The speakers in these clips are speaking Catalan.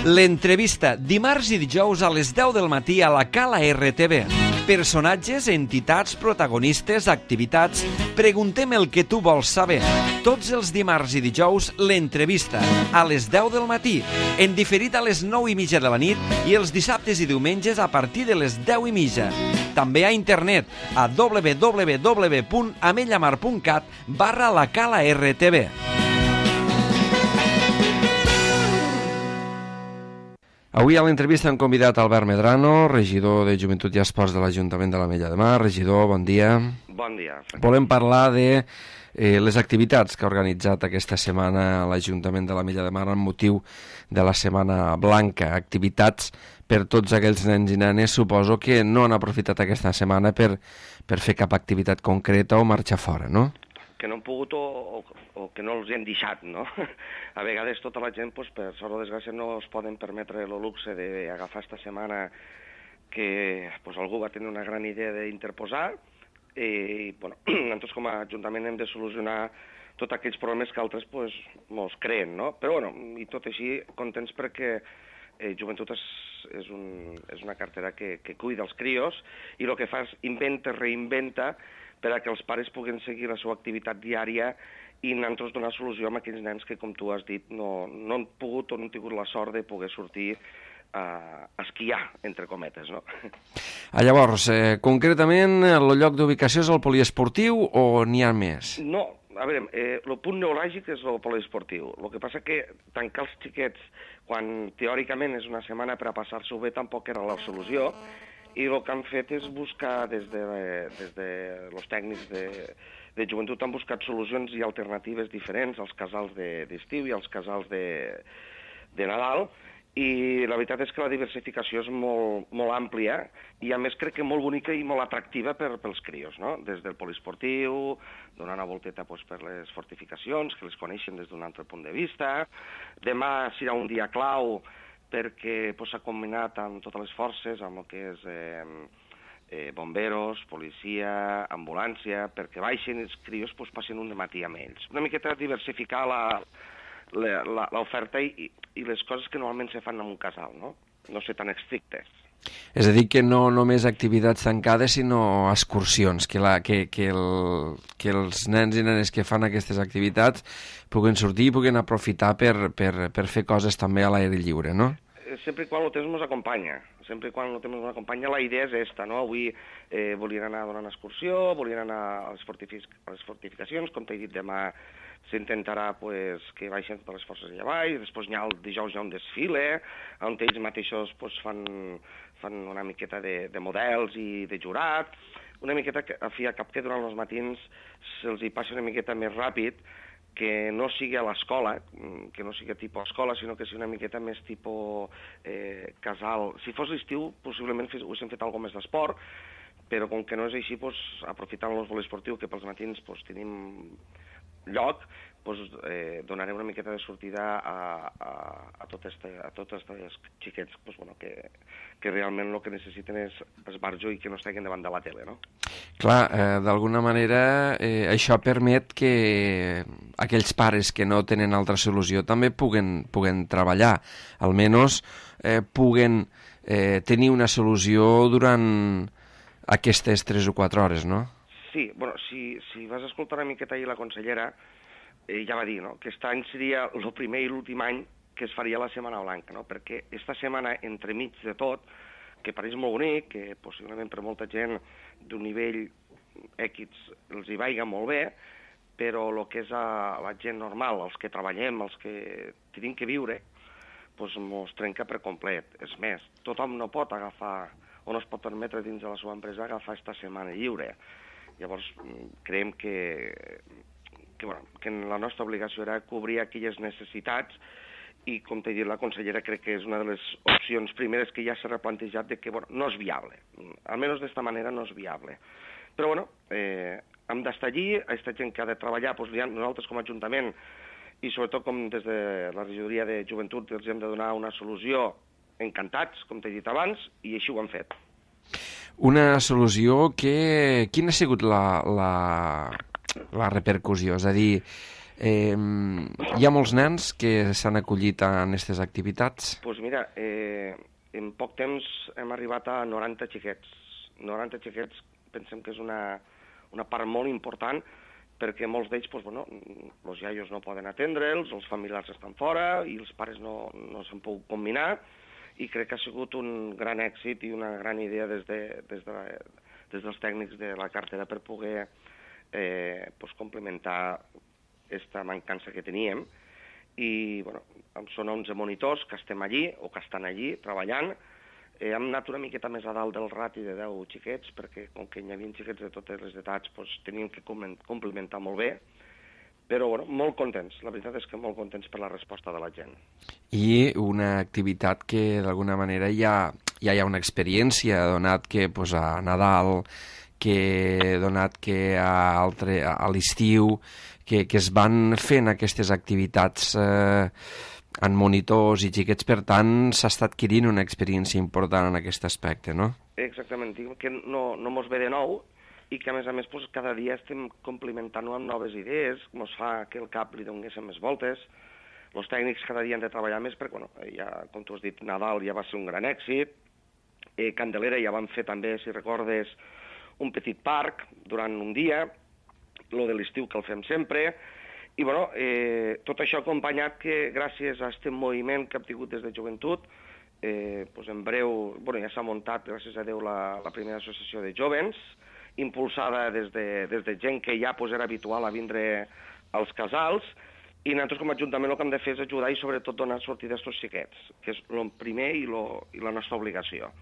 L'entrevista, dimarts i dijous a les 10 del matí a la Cala RTV. Personatges, entitats, protagonistes, activitats... Preguntem el que tu vols saber. Tots els dimarts i dijous, l'entrevista, a les 10 del matí, en diferit a les 9:30 de la nit i els dissabtes i diumenges a partir de les 10:30. També a internet a www.amellamar.cat/la Cala RTV. Avui a l'entrevista hem convidat Albert Medrano, regidor de Joventut i Esports de l'Ajuntament de l'Ametlla de Mar. Regidor, bon dia. Bon dia. Volem parlar de les activitats que ha organitzat aquesta setmana l'Ajuntament de l'Ametlla de Mar amb motiu de la Setmana Blanca. Activitats per tots aquells nens i nenes, suposo que no han aprofitat aquesta setmana per fer cap activitat concreta o marxar fora, no? Que no han pogut o que no els hem deixat, no? A vegades tota la gent, pues, per sort o desgràcia, no es poden permetre el luxe d'agafar esta setmana que pues, algú va tenir una gran idea d'interposar i, bueno, nosaltres com a Ajuntament hem de solucionar tots aquells problemes que altres pues, mos creen, no? Però, bueno, i tot així, contents perquè Joventut és una cartera que cuida els crios i el que fa és inventa, reinventa per a que els pares puguin seguir la seva activitat diària i nosaltres donar solució a aquells nens que, com tu has dit, no han pogut o no han tingut la sort de poder sortir a esquiar, entre cometes, no? Llavors, concretament, el lloc d'ubicació és el poliesportiu o n'hi ha més? No, a veure, el punt neuràlgic és el poliesportiu. El que passa que tancar els xiquets quan teòricament és una setmana per a passar-s'ho bé tampoc era la solució i el que han fet és buscar des de els tècnics de joventut han buscat solucions i alternatives diferents als casals d'estiu i als casals de Nadal i la veritat és que la diversificació és molt àmplia i a més crec que molt bonica i molt atractiva pels crios, no? Des del poliesportiu, donar una volteta pues, per les fortificacions, que les coneixen des d'un altre punt de vista. Demà serà un dia clau perquè s'ha combinat amb totes les forces, amb el que és bomberos, policia, ambulància, perquè baixen els crios passin un matí amb ells. Una miqueta diversificar l'oferta i les coses que normalment se fan en un casal, no? No ser tan estrictes. És a dir, que no només activitats tancades, sinó excursions, que els nens i nenes que fan aquestes activitats puguen sortir i puguen aprofitar per fer coses també a l'aire lliure, no? Sempre i quan el temps ens acompanya. Sempre i quan el temps ens acompanya, la idea és esta, no? Avui volien anar a donar una excursió, volien anar a les fortificacions, com t'he dit, demà s'intentarà que baixin totes les forces allà baix, després el dijous hi ha un desfile, on ells mateixos fan una miqueta de models i de jurat, una miqueta a fi a cap que durant els matins se'ls hi passi una miqueta més ràpid, que no sigui a l'escola, que no sigui tipus escola, sinó que sigui una miqueta més tipus casal. Si fos l'estiu, possiblement haguéssim fet alguna més d'esport, però com que no és així, aprofitant el poliesportiu, que pels matins tenim lloc, donarem una miqueta de sortida a tots els xiquets que realment el que necessiten és esbarjo i que no estiguin davant de la tele, no? Clar, d'alguna manera això permet que aquells pares que no tenen altra solució també puguen treballar, almenys puguen tenir una solució durant aquestes 3 o 4 hores, no? Sí, bueno, si vas escoltar una miqueta ahir la consellera, ja va dir, no?, que aquest any seria el primer i l'últim any que es faria la Setmana Blanca, no?, perquè esta setmana, entremig de tot, que pareix molt bonic, que possiblement per molta gent d'un nivell X els hi vaiga molt bé, però el que és la gent normal, els que treballem, els que tenim que viure, mos trenca per complet. És més, tothom no pot agafar o no es pot permetre dins de la seva empresa agafar esta setmana lliure. Llavors, creiem que la nostra obligació era cobrir aquelles necessitats i, com t'he dit, la consellera crec que és una de les opcions primeres que ja s'ha replantejat de que no és viable. Almenys d'esta manera no és viable. Però, hem d'estar allí, aquesta gent que ha de treballar, nosaltres com a Ajuntament i sobretot com des de la regidoria de Joventut els hem de donar una solució encantats, com t'he dit abans, i així ho hem fet. Una solució que... Quina ha sigut la repercussió? És a dir, Hi ha molts nens que s'han acollit a aquestes activitats? Doncs mira, en poc temps hem arribat a 90 xiquets. 90 xiquets pensem que és una part molt important, perquè molts d'ells, els iaios no poden atendre'ls, els familiars estan fora i els pares no s'han pogut combinar, i crec que ha sigut un gran èxit i una gran idea des dels tècnics de la cartera per poder complementar aquesta mancança que teníem. I són 11 monitors que estem allí, o que estan allí, treballant. Hem anat una miqueta més a dalt del rati de 10 xiquets, perquè com que hi havia xiquets de totes les edats, teníem que complementar molt bé, però molt contents, la veritat és que molt contents per la resposta de la gent. I una activitat que d'alguna manera ja hi ha una experiència, donat que a Nadal, donat que a l'estiu, que es van fent aquestes activitats en monitors i xiquets, per tant, s'ha estat adquirint una experiència important en aquest aspecte, no? Exactament, dic que no mos ve de nou i que, a més, cada dia estem complementant-ho amb noves idees, mos fa que el cap li donéssim més voltes. Els tècnics cada dia han de treballar més perquè, ja, com tu has dit, Nadal ja va ser un gran èxit, Candelera ja vam fer també, si recordes, un petit parc durant un dia, lo de l'estiu que el fem sempre, i tot això acompanyat que gràcies a aquest moviment que hem tingut des de joventut, en breu ja s'ha muntat, gràcies a Déu, la primera associació de jovens, impulsada des de gent que ja era habitual a vindre als casals, i nosaltres com a Ajuntament el que hem de fer és ajudar i sobretot donar sortida a aquests xiquets, que és el primer i la nostra obligació.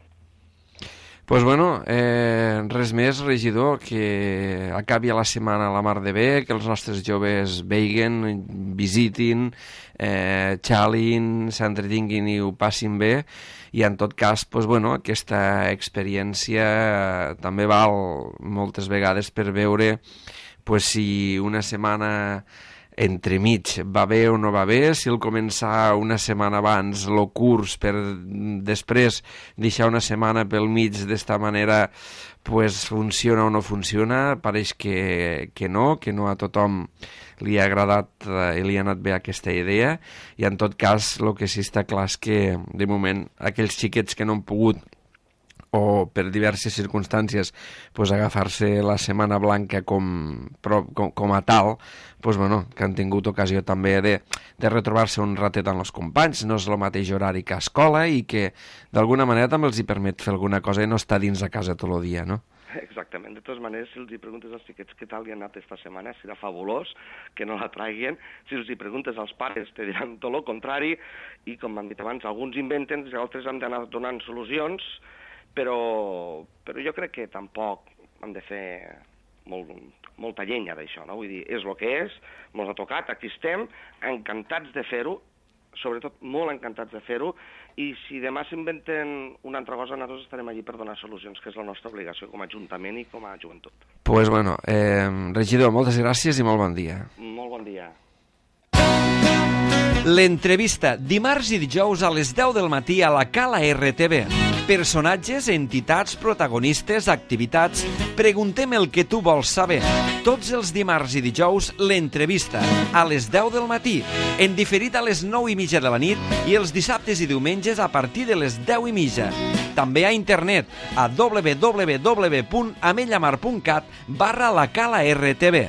Doncs res més, regidor, que acabi la setmana a la mar de bé, que els nostres joves vegin, visitin, xalin, s'entretinguin i ho passin bé, i en tot cas, aquesta experiència també val moltes vegades per veure si una setmana entremig va bé o no va bé, si el començar una setmana abans el curs per després deixar una setmana pel mig d'esta manera funciona o no funciona. Pareix que no a tothom li ha agradat i li ha anat bé aquesta idea, i en tot cas el que sí està clar és que de moment aquells xiquets que no han pogut o per diverses circumstàncies agafar-se la Setmana Blanca com a tal, que han tingut ocasió també de retrobar-se un ratet amb els companys, no és el mateix horari que a escola, i que d'alguna manera també els hi permet fer alguna cosa i no estar dins a casa tot el dia, no? Exactament. De totes maneres, si els hi preguntes als xiquets què tal li ha anat esta setmana, serà fabulós, que no la traguin. Si els hi preguntes als pares, te diran tot el contrari, i com hem dit abans, alguns inventen i altres han d'anar donant solucions, però jo crec que tampoc hem de fer molta llenya d'això, no? Vull dir, és el que és, mos ha tocat, aquí estem, encantats de fer-ho, sobretot molt encantats de fer-ho, i si demà s'inventen una altra cosa, nosaltres estarem allí per donar solucions, que és la nostra obligació com a Ajuntament i com a joventut. Regidor, moltes gràcies i molt bon dia. Molt bon dia. L'entrevista, dimarts i dijous a les 10 del matí a la Cala RTV. Personatges, entitats, protagonistes, activitats... Preguntem el que tu vols saber. Tots els dimarts i dijous, l'entrevista, a les 10 del matí, en diferit a les 9:30 de la nit i els dissabtes i diumenges a partir de les 10:30. També a internet a www.amellamar.cat/la Cala RTV.